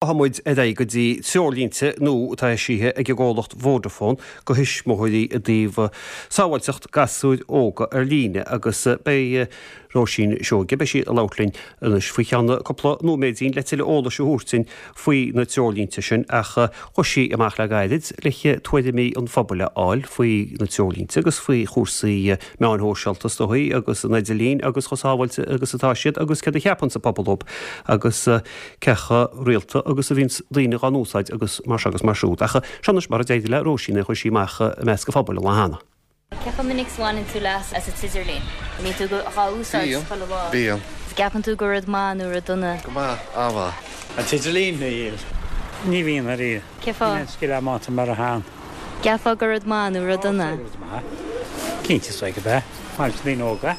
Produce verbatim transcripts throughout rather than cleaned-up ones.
Tá muid ar aghaidh go dtí treoirlínte nua atá eisithe ag an gcomhlacht Vodafone do thuismitheoirí i dtaobh sábháilteacht gasúir óga ar líne agus beidh Róisín Seoige, beidh sí ag labhairt linn anois faoi cheann cúpla nóiméidín le tuilleadh eolais a thabhairt dúinn faoi na treoirlínte sin ach chuaigh sí amach le gairid le tuairimí an phobail a fháil faoi na treoirlínte agus faoi chúrsaí meáin shóisialta is dóigh agus an idirlíon agus chomh sábháilte agus atá siad agus céard a cheapann an pobal fúthu agus cé chomh rialta agus a bhíonns daoine dhá n-úsáid agus mar seo agus mar siúd. Ach seo anois mar a d'éirigh le Róisín é chuir sí amach i measc an phobail an lá cheana. Cé chomh minic is a bhaineann tú leas as an t-idirlíon? An mbíonn tú dhá úsáid chuile lá? Bíonn. Is gceapann tú gur rud maith nó rud dona? Go maith, an-mhaith. An t-idirlíon? Níl. Ní bhíonn ariamh. Cén fáth? Níl aon scil agam ann mar a théann. Gceapfá gur rud maith nó rud dona? Rud maith. Cinnte is dóigh gurb ea. Maith leis na daoine óga.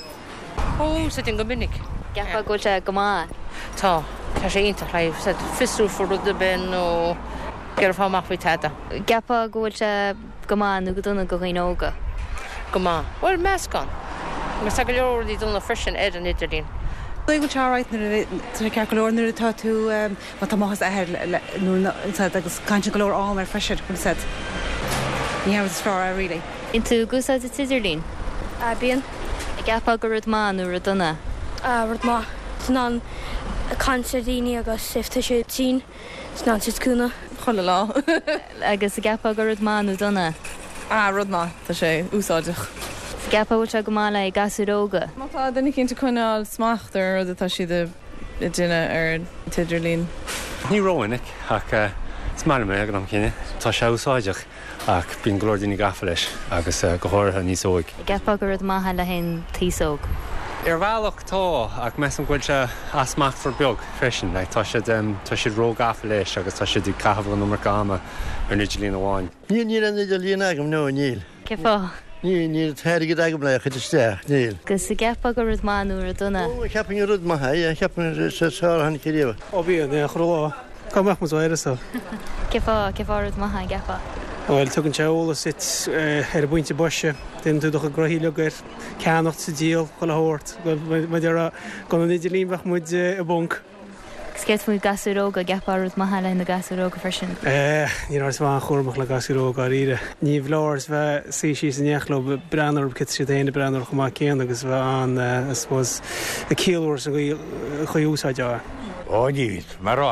Ó, úsáidim go minic. Gceapfá go bhfuil sé go maith? Tá. Tá sé iontach le fiosrú faoi rud ar bith nó ag iarraidh fáil amach faoi tada. Gceapfá go bhfuil sé go maith nó go dona do dhaoine óga? Go maith. Bhuel, meascán. Agus tá go leor rudaí dona freisin ar an idirlíon. Dóigh go bhfuil sé alright nuair a tá sé ceart go leor nuair atá tú má tá máthair is athair nó agus caitheann siad go leor am air freisin, bhfuil a fhios agat. Ní hea rud is fearr é really. Bíonn tú ag úsáid an t-idirlíon? Bíonn. An gceapfá gur rud maith nó rud dona? Rud maith. Tá in ann caint le daoine agus if tá siad tinn, tá in ann siad cúnamh. Chuile lá. Agus an gceapfá gur rud maith nó dona? Ah, rud maith, tá sé úsáideach. Is gceapfá go bhfuil sé go maith le gasúir óga? Má tá duine éicint ag coinneáil smacht ar an rud atá siad ag déanamh ar an t-idirlíon. Ní rómhinic ach is maith liom é ag an am céanna. Tá sé úsáideach ach bíonn go leor daoine gafa leis agus go háirithe níos óige. An gceapfá gur rud maith é le haghaidh an t-aos óg? Ar bhealach tá ach measaim go bhfuil sé easmachtmhar beag freisin. Like, tá siad tá siad róghafa leis agus tá siad ag caitheamh an iomarca ama ar an idirlíon amháin. Níl níl an idirlíon agam nó níl. Cén fáth? Níl níl t-airgead agam le chur isteach, níl. Agus an gceapfá gur rud maith nó rud dona? Ó cheapfainn gur rud maith é, cheapfainn sé sár-tháinig riamh. Ó bíonn, é chuile lá. Cá mbeadh muid uireasa? Cén fáth, cén fáth rud maith é, an gceapfá? Bhuel, tugann sé eolas duit ar an bpointe boise, déanann tú do chuid gnoithí uilig air, ceannacht is díol, chuile shórt. Muid ar gan an idirlíon bheadh muid i bponc. Agus céard faoi gasúir óga, an gceapfá rud maith é le haghaidh na gasúir óga freisin? Eh, ní raibh mé an-chúramach le gasúir óga dáiríre. Ní foláir bheith suí síos in éineacht leo breathnú orthu cé siad féin ag breathnú orthu chomh maith céanna agus bheith an, I suppose, ag ciallú san gcaoi úsáid á. Ó níl, mar rá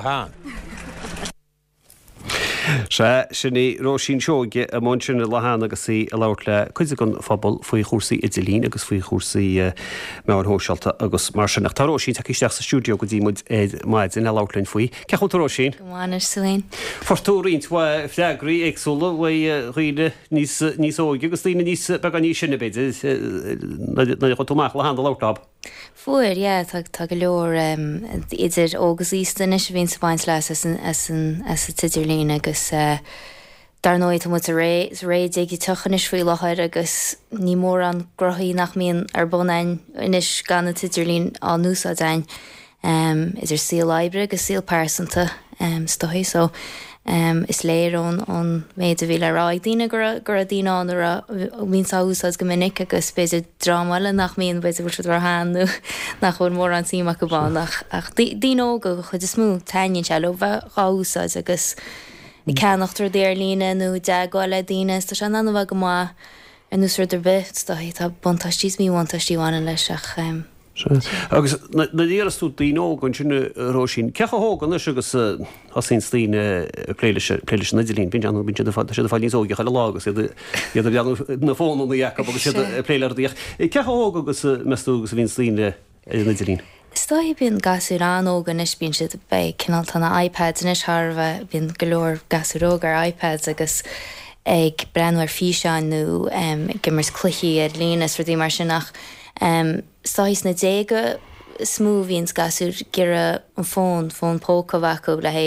Sea, sin í Róisín Seoige i mbun sin an lá cheana agus í ag labhairt le cuid den phobal faoi chúrsaí idirlín agus faoi chúrsaí meáin shóisialta agus mar sin. Ach tá Róisín tagtha isteach sa stiúideo go dtí muid ar maidin le labhairt linn faoi. Cén chaoi a bhfuil tú Róisín? Go maith anois tú féin. Fuair tú roinnt mhaith freagraí éagsúla uaidh dhaoine níos níos óige agus daoine níos beagán níos sine b'fhéidir nuair a chuaigh tú amach an lá cheana ag labhairt leo. Fuair, yeah, tá tá go leor um, idir óg agus aosta anois a bhíonn ag baint leas as an as an as an t-idirlíon agus uh, dar ndóigh tá muid sa ré sa ré digiteach anois faoi láthair agus ní mórán gnóthaí nach mbíonn ar bun againn anois gan an t-idirlíon á n-úsáid againn um, idir saol oibre agus saol pearsanta um, is dóigh so um, is léir ón ón méid a bhí le rá ag daoine go raibh go raibh daoine ann a bhíonn á úsáid go minic agus b'fhéidir dream eile nach mbíonn b'fhéidir bhfuil siad róshean nó nach bhfuil mórán suim acu ann ach ach daoine óga go chuid is mó taitníonn sé leo bheith dhá úsáid agus ag ceannacht rudaí ar líne nó teagmháil le daoine tá sé in ann a bheith go maith ar nós rud ar bith is dóigh tá buntáistí is míbhuntáistí a bhaineann leis ach um, Agus nuair a d'iarras tú daoine óga ansin Róisín, cé chomh hóg anois agus thosaíonn daoine ag plé leis plé leis an idirlíon, bíonn bíonn siad ag siad ag fáil níos óige chuile lá agus iad iad ag breathnú na fónanna acu agus iad ag plé le rudaí ach cé chomh hóg agus meas tú agus a bhíonn daoine ar an idirlíon? Is dóigh bíonn gasúir an-óg anois bíonn siad beidh cineál tá na iPads anois thar a bheith bíonn go leor gasúir óg ar iPads agus ag breathnú ar físeáin nó um, ag imirt cluichí ar líne is rudaí mar sin ach um, is dóigh sna déaga is mó bhíonn gasúir ag iarraidh an fón fón póca bheith acu le hé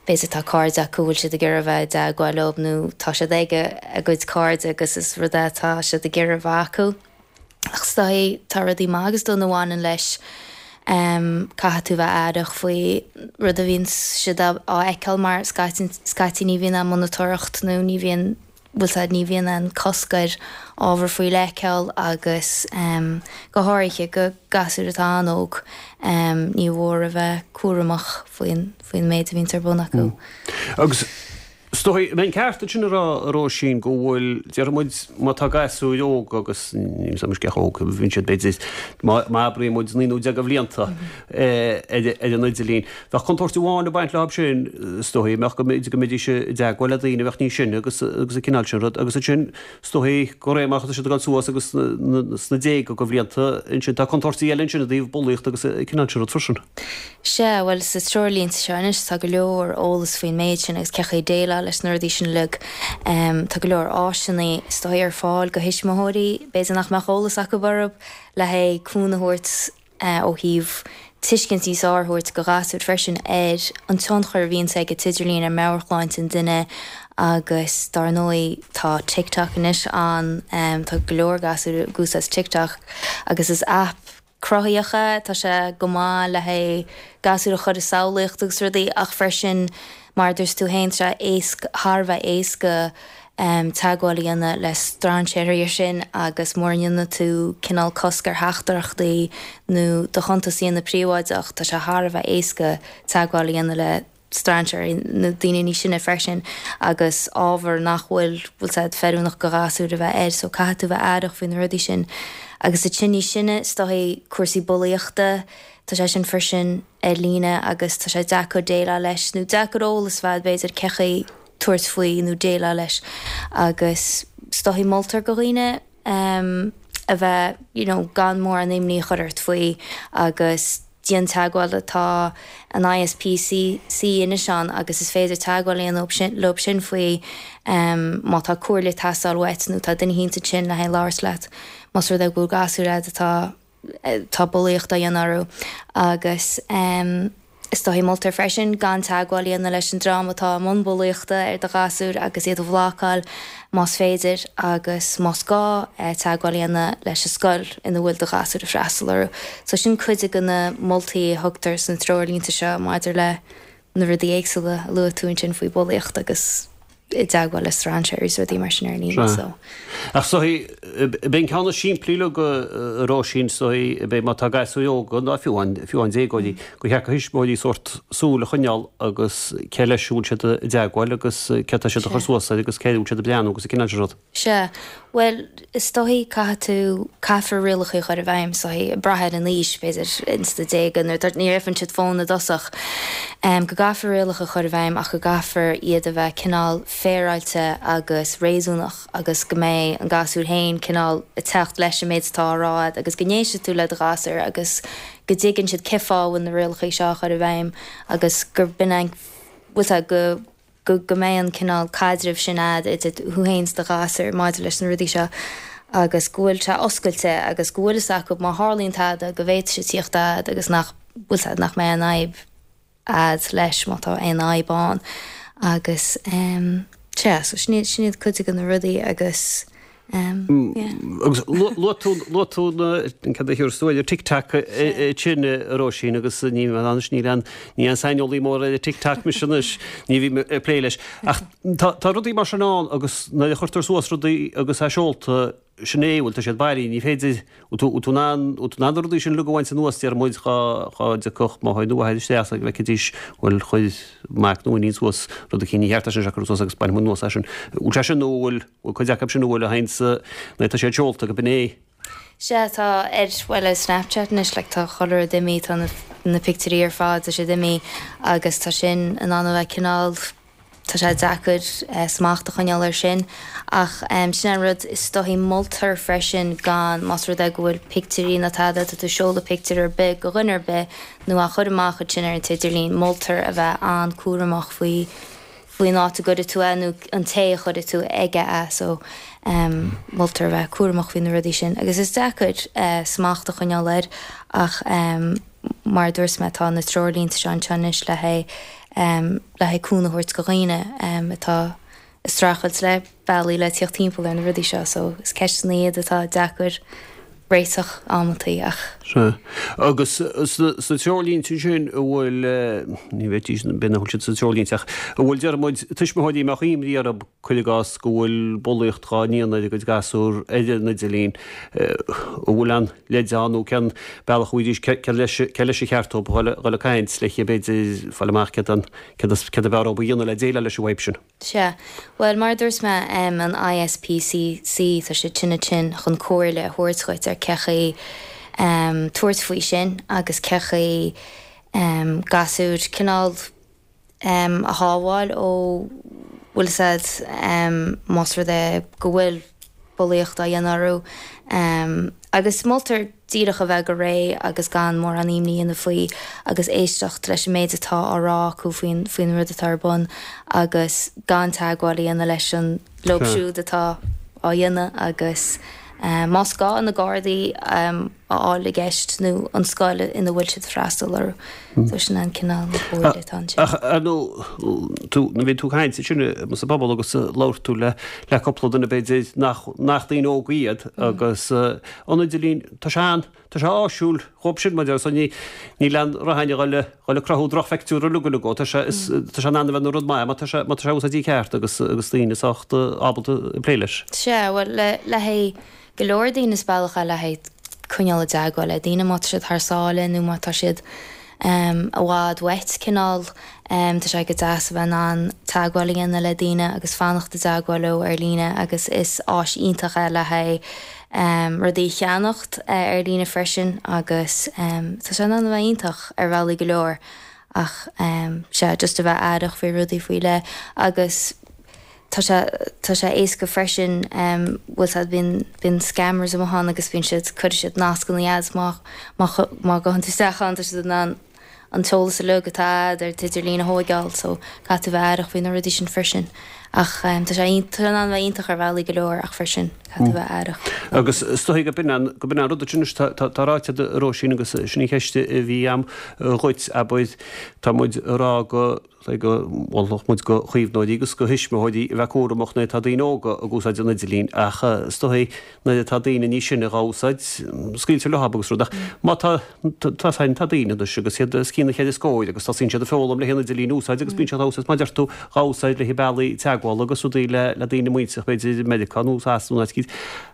b'fhéidir tá cairde acu bhfuil siad ag iarraidh bheith i dteagmháil leo nó tá siad ag a gcuid cairde agus is rud é tá siad ag iarraidh bheith acu. Ach is dóigh tá rudaí maith agus dona a bhaineann leis um, caithfidh tú bheith aireach faoi rud a bhíonn siad á fheiceáil mar scaití ní bhíonn an monatóireacht nó ní bhíonn bhfuil 's a'd ní bhíonn aon cosc ar ábhar faoi leith a fheiceáil agus go háirithe go gasúir atá an-óg ní mhór a bheith cúramach faoin faoin méid a bhíonns ar bun acu. Agus is dóigh, an mbeinn ceart ansin a rá, a Róisín, go bhfuil, déarfaidh muid, má tá gasúir óg agus níl 's agam cé chomh hóg, bhíonn siad b'fhéidir, má abraíonn muid naoi nó deich de bhlianta ar an idirlíon, bheadh contúirt amháin ag baint leo sin, is dóigh, mbeadh go go mbeidís i dteagmháil le daoine a bheadh níos sine agus agus an cineál sin rud agus ansin, is dóigh, de réir mar atá siad ag dul suas agus sna déaga de bhlianta ansin, tá contúirtí eile ansin i dtaobh bulaíocht agus an cineál sin rud freisin. Sea, bhuel, sa treoirlínte seo anois tá go leor eolas faoin méid sin agus cé chaoi déileáil leis na rudaí sin uilig. Tá go leor áiseanna is dóigh ar fáil go thuismitheoirí, b'fhéidir nach mbeadh eolas acu orthu, le haghaidh cúnamh a thabhairt ó thaobh tuiscint níos fearr a thabhairt go ghasúir freisin ar an tionchar a bhíonns ag an t-idirlíon ar mheabhairshláinte an duine agus dar ndóigh tá TikTok anois ann, tá go leor gasúir ag úsáid TikTok agus is aip cruthaíoch é, tá sé go maith le haghaidh gasúir a chur ag samhlaíocht agus rudaí ach freisin mar a dúirt tú féin tá sé éasca, thar a bheith éasca teagmháil a dhéanamh le strainséirí ar sin agus mura ndéanann tú cineál cosc ar theachtaireachtaí nó do chuntas a dhéanamh príobháideach tá sé thar a bheith éasca teagmháil a dhéanamh le strainséirí nó daoine níos sine freisin agus ábhar nach bhfuil bhfuil 's a'd feiliúnach go ghasúr a bheith air so caithfidh tú bheith aireach faoi na rudaí sin. Agus ansin níos sine is dóigh cúrsaí bulaíochta tá sé sin freisin ar líne agus tá sé deacair déileáil leis nó deacair eolas a bheith b'fhéidir cé chaoi tabhairt faoi nó déileáil leis agus is dóigh moltar go dhaoine um, a bheith you know, gan mórán imní a chur ort faoi agus déan teagmháil tá an ISPCC anois ann agus is féidir teagmháil a dhéanamh leo sin faoi um, má tá comhairle ag teastáil uait nó tá duine éicint ansin le haghaidh labhairt leat más rud é go bhfuil gasúr agat atá tá bulaíocht á dhéanamh orthu agus um, Is dóigh moltar freisin gan teagmháil a dhéanamh leis an dream atá i mbun bulaíochta ar do ghasúr agus iad a bhlocáil más féidir agus más gá teagmháil a dhéanamh leis an scoil ina bhfuil do ghasúr ag freastal orthu. So sin cuid de na moltaí a thugtar sna treoirlínte seo maidir le na rudaí éagsúla a luaigh tú ansin faoi bulaíocht agus i dteagmháil le strainséirí is rudaí mar sin ar líne so. Ach so b'é an ceann is simplí le go Róisín so b'é má tá gasúir óga ná fiú an fiú an déagóirí gur cheart do thuismitheoirí sórt súil a choinneáil agus cé leis a bhfuil siad i dteagmháil agus cé tá siad a chur suas air agus cé bhfuil siad ag breathnú agus an cineál sin rud. Sea, bhuel is dóigh caithfidh tú caithfear rialacha a chur i bhfeidhm so ag brath ar an aois b'fhéidir ins na déaga nuair ní fhaigheann siad fón i dtosach. Go gcaithfear rialacha a chur i bhfeidhm ach go gcaithfear iad a bheith cineál féaráilte agus réasúnach agus go mbeidh an gasúr féin cineál ag teacht leis an méid atá á rá agat agus go n-éistfidh tú le do ghasúr agus go dtuigeann siad cé fáth a bhfuil na rialacha seo á chur i bhfeidhm agus gur b'in an bhfuil 's a'd go go go mbeidh an cineál caidrimh sin a'd idir thú féin is do ghasúr maidir leis na rudaí seo agus go bhfuil sé oscailte agus go bhfuil fhios acu má tharlaíonn tada go bhféadfaidh siad tíocht a'd agus nach bhfuil 's a'd nach mbeidh aon fhadhb a'd leis má tá aon fhadhb ann agus ehm sea so sin iad sin iad cuid de na rudaí agus ehm yeah. Agus luaigh tú luaigh tú na cad a thiúrfas tú ar TikTok sin a Róisín agus ní anois níl aon ní aon saineolaí mór ar TikTok mise anois ní bhím ag plé leis ach tá tá rudaí mar sin ann agus nuair a chuirtear suas rudaí agus é seolta sin é, bhuel tá siad bailí, ní féidir, bhfuil tú, bhfuil tú in ann, bhfuil tú in ann na rudaí sin uilig a bhaint anuas, deir muid, dhá, dhá dtiocfadh máthair nó athair isteach go bhfeicfidís, bhuel chuir mac nó iníon suas rud eicínt, ní cheart é sin a chur suas agus bainfidh muid anuas é sin. Bhfuil sé sin nó bhfuil, bhfuil cuid acu sin a bhfuil a théann sa, nó tá siad seolta go b'in é. Sea, tá ar, bhuel ar Snapchat anois, like tá chuile rud imithe, tá na, na pictiúirí ar fad, tá siad imithe agus tá sin in ann a bheith cineál, Tá sé deacair smacht a choinneáil air sin ach sin an rud is dóichí. Moltar freisin gan, más rud é go bhfuil pictiúirí nó tada, tá tú ag seoladh pictiúr ar bith go dhuine ar bith nó á chur amach ansin ar an t-idirlíon, moltar a bheith an-cúramach faoi faoin áit a gcuirfidh tú é nó an té a chuirfidh tú aige é so moltar a bheith cúramach faoi na rudaí sin agus is deacair smacht a choinneáil air ach mar a dúirt mé tá na treoirlínte seo anseo anois le haghaidh le haghaidh cúnamh a thabhairt go dhaoine atá ag streachailt le bealaí le tíocht timpeall ar na rudaí seo so is ceisteanna iad atá deacair réiteach amantaí ach Sea. Agus sna treoirlínte sin, an bhfuil, ní bhféadfaidís, b'fhéidir nach bhfuil siad sna treoirlínte ach an bhfuil, deir muid, tuismitheoirí a mbeadh imní orthu, cuir i gcás, go bhfuil bulaíocht dhá ndéanamh ar a gcuid gasúr ar an idirlíon, an bhfuil aon leid ann nó cén bealach a bhfaighidís, cé leis, cé leis ar cheart dóibh dhul, dhul ag caint le b'fhéidir fáil amach céard an, céard céard ab fhearr dóibh a dhéanamh le déileáil leis an bhfadhb sin? Sea. Bhuel, mar a dúirt mé, an ISPCC, tá siad sin ansin chun comhairle a thabhairt dhuit ar cé chaoi tabhairt faoi sin agus cé chaoi gasúir cineál a shábháil ó bhfuil fhios a'd más rud é go bhfuil bulaíocht á dhéanamh orthu. Agus moltar díreach a bheith go réidh agus gan mórán imní a dhéanamh faoi agus éisteacht leis an méid atá á rá acu faoin faoin rud atá ar bun agus gan teagmháil a dhéanamh leis an leo siúd atá á dhéanamh agus más gá na Gardaí a fháil i gceist nó an scoil ina bhfuil siad ag freastal orthu. So sin an cineál comhairle atá ansin. Ach ar ndóigh, tú, nuair a bhí tú ag caint ansin sa bpobal agus labhair tú le le cúpla duine b'fhéidir nach nach daoine óga iad agus an idirlíon, tá sé an, tá sé áisiúil dhóibh sin mar so ní níl aon rath a dhul dhul ag cruthú drochphictiúr uilig uilig dhó. Tá sé is tá sé in ann a bheith ina rud maith má tá sé má tá sé úsáidte ceart agus agus daoine sách ábalta plé leis. Sea, bhuel le le haghaidh go leor daoine is bealach é le haghaidh coinneáil i dteagmháil le daoine má tá siad thar sáile nó má tá siad i bhfad uait cineál. Tá sé go deas a bheith in ann teagmháil a dhéanamh le daoine agus fanacht i dteagmháil leo ar líne agus is áis iontach é le haghaidh rudaí a cheannacht ar líne freisin agus tá sé in ann a bheith iontach ar bhealaí go leor ach sea, just a bheith aireach faoi rudaí faoi leith agus tá sé tá sé éasca freisin bhfuil fhios a'd bíonn bíonn scammers amuigh ann agus bíonn siad cuirfidh siad nascanna agat má má má ghabhann tú isteach ann tá siad in ann an t-eolas uilig atá a'd ar t'idirlíon a thóigeáil so caithfidh tú bheith aireach faoi na rudaí sin freisin ach tá sé tá sé in ann bheith iontach ar bhealaí go leor ach freisin caithfidh tú bheith aireach. Agus is dóigh go b'in an go b'in an rud duit anois tá tá tá ráite a'd a Róisín agus sin í cheist a bhí a'm dhuit abair tá muid a rá go go mholfadh muid go chaomhnóirí agus go thuismitheoirí a bheith cúramach nuair atá daoine óga ag úsáid an idirlín ach is dóigh nuair atá daoine níos sine dhá úsáid, scaoiltear leo agus rud ach má tá tá féin tá daoine anois agus iad os cionn na cheithre scóir agus tosaíonn siad ag foghlaim le haghaidh an idirlíon a úsáid agus bíonn siad á úsáid mar deir tú dhá úsáid le haghaidh bealaí teagmhála agus rudaí le le daoine muinteartha b'fhéidir i Meiriceá nó Sasana nó áit eicínt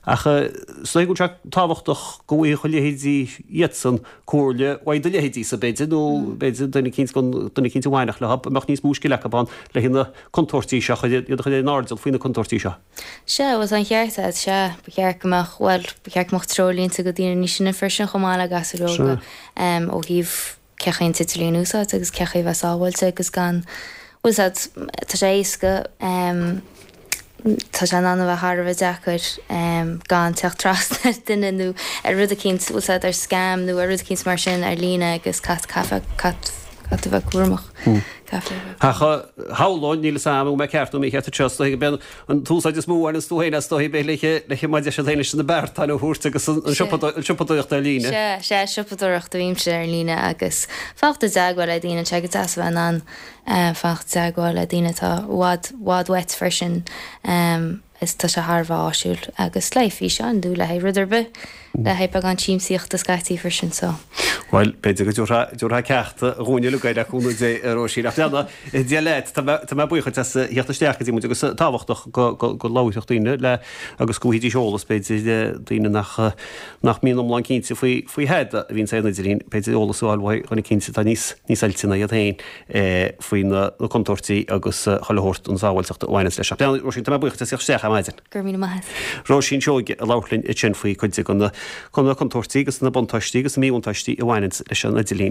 ach is dóigh go bhfuil sé tábhachtach go bhfaigheadh a leithéidí iadsan comhairle uaidh do leithéidísa, b'fhéidir, nó b'fhéidir duine eicínt gan duine eicínt a bhainfeadh leo, a mbeadh níos mó scil acu ann le haghaidh na contúirtí seo, iad a chur ar an airdeall faoi na contúirtí seo. Sea, bhuel tá an ceart agat, sea, ba cheart go mbeadh, bhuel, ba cheart go mbeadh treoirlínte do daoine níos sine freisin chomh maith le gasúir óga ó thaobh cé chaoi an t-idirlíon a úsáid agus cé chaoi a bheith sábháilte agus gan, bhfuil fhios agat, tá sé éasca, tá sé in ann a bheith thar a bheith deacair gan teacht trasna ar duine nó ar rud eicínt, bhfuil fhios agat, ar scam nó ar rud eicínt mar sin ar líne agus caithfidh, caithfidh, caithfidh tú a bheith cúramach. Caithfidh a bheith. Ach shamhlóinn, níl fhios a'm an bhfuil mé ceart nó mícheart anseo, is dóigh go mbíonn an t-úsáid is mó a bhaineanns tú féin as, is dóigh, b'fhéidir le le mar a deir siad féin leis na beartáin a thabhairt agus an siopadóireacht ar líne. Sea, sea, siopadóireacht a bhímse ar líne agus fanacht i dteagmháil le daoine, tá sé go deas a bheith in ann fanacht i dteagmháil le daoine atá i bhfad, bhfad uait freisin. Is tá sé thar a bheith áisiúil agus le haghaidh físeáin nó le haghaidh rud ar bith, le haghaidh beagán siamsaíochta scaití freisin so. Bhuel, b'fhéidir go dtabharfá, dtabharfá ceacht dhúinn uilig le cúnamh Dé, a Róisín. Ach leana, Dia leat, tá mé, tá mé buíoch duit as theacht isteach go dtí muid agus tábhachtach go, go, go labharfadh daoine le agus go bhfaighidís eolas b'fhéidir, daoine nach, nach mbíonn iomlán cinnte faoi, faoi thada a bhíonn ar an idirlíon, b'fhéidir eolas a fháil uaidh dhuine eicínt atá níos, níos oilte ná iad féin. faoi na contúirtí agus chuile shórt an sábháilteacht a bhaineanns leis. Ach lean, Róisín, tá mé buíoch duit as theacht isteach ar maidin. Go raibh míle maith agat. Róisín Seoige ag labhairt linn ansin faoi cuid de na contúirtí agus na buntáistí agus na míbhuntáistí a bhaineanns leis an idirlíon.